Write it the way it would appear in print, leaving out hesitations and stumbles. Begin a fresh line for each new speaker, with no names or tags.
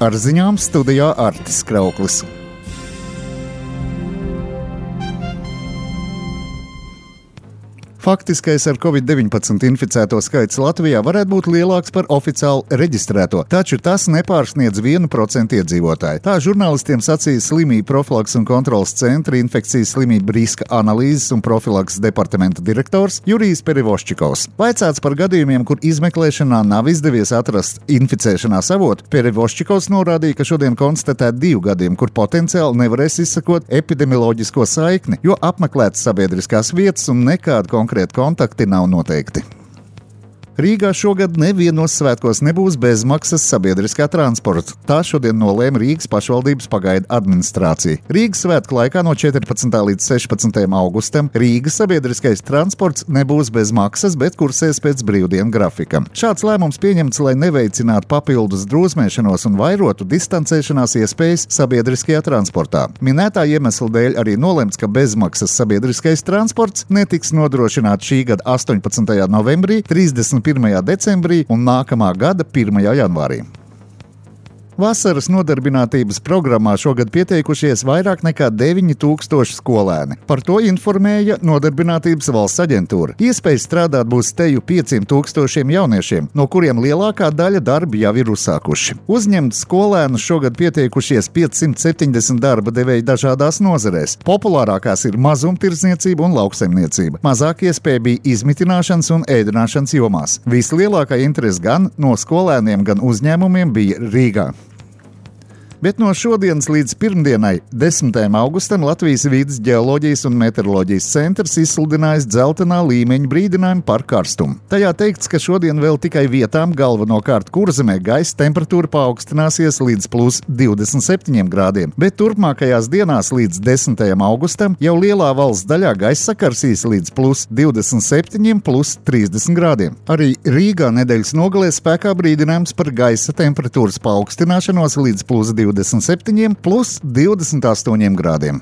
Ar ziņām studijā Artis Krauklis. Faktiskais ar Covid-19 inficēto skaits Latvijā varētu būt lielāks par oficiāli reģistrēto, taču tas nepārsniedz 1% iedzīvotāju. Tā žurnālistiem sacīja Slimību profilakses un kontrolas centra infekcijas slimību riska analīzes un profilakses departamenta direktors Jurijs Perevoščikovs. Vaicāts par gadījumiem, kur izmeklēšanā nav izdevies atrast inficēšanās avotu, Perevoščikovs norādīja, ka šodien konstatēt 2 gadījumi, kur potenciāli nevarēs izsakot epidemioloģisko saikni, jo apmeklētas sabiedriskās vietas un nekāda konkrēta kontakti nav noteikti. Rīgā šogad nevienos svētkos nebūs bezmaksas sabiedriskā transporta. Tā šodien nolēma Rīgas pašvaldības pagaidu administrācija. Rīgas svētku laikā no 14. līdz 16. augustam Rīgas sabiedriskais transports nebūs bez maksas, bet kursēs pēc brīvdienu grafika. Šāds lēmums pieņemts, lai neveicinātu papildus drosmēšanos un vairotu distancēšanās iespējas sabiedriskajā transportā. Minētā iemesla dēļ arī nolemts, ka bezmaksas sabiedriskais transports netiks nodrošināts šī gada 18. novembrī, 31. decembrī un nākamā gada 1. janvārī. Vasaras nodarbinātības programmā šogad pieteikušies vairāk nekā 9000 skolēni. Par to informēja Nodarbinātības valsts aģentūra. Iespēja strādāt būs teju 500 jauniešiem, no kuriem lielākā daļa darbi jau ir uzsākuši. Uzņemt skolēnus šogad pieteikušies 570 darba devēji dažādās nozarēs. Populārākās ir mazumtirdzniecība un lauksaimniecība. Mazāk iespēja bija izmitināšanas un ēdināšanas jomās. Vislielākā interese gan no skolēniem, gan uzņēmumiem bija Rīgā. Bet no šodienas līdz pirmdienai, 10. augustam, Latvijas Vides ģeoloģijas un meteoroloģijas centrs izsludinājis dzeltenā līmeņa brīdinājumu par karstumu. Tajā teikts, ka šodien vēl tikai vietām, galvenokārt Kurzemē, gaisa temperatūra paaugstināsies līdz plus 27 grādiem, bet turpmākajās dienās līdz 10. augustam jau lielā valsts daļā gaisa sakarsīs līdz plus 27, plus 30 grādiem. Arī Rīgā nedēļas nogalē spēkā brīdinājums par gaisa temperatūras paaugstināšanos līdz plus 27, plus 28 grādiem.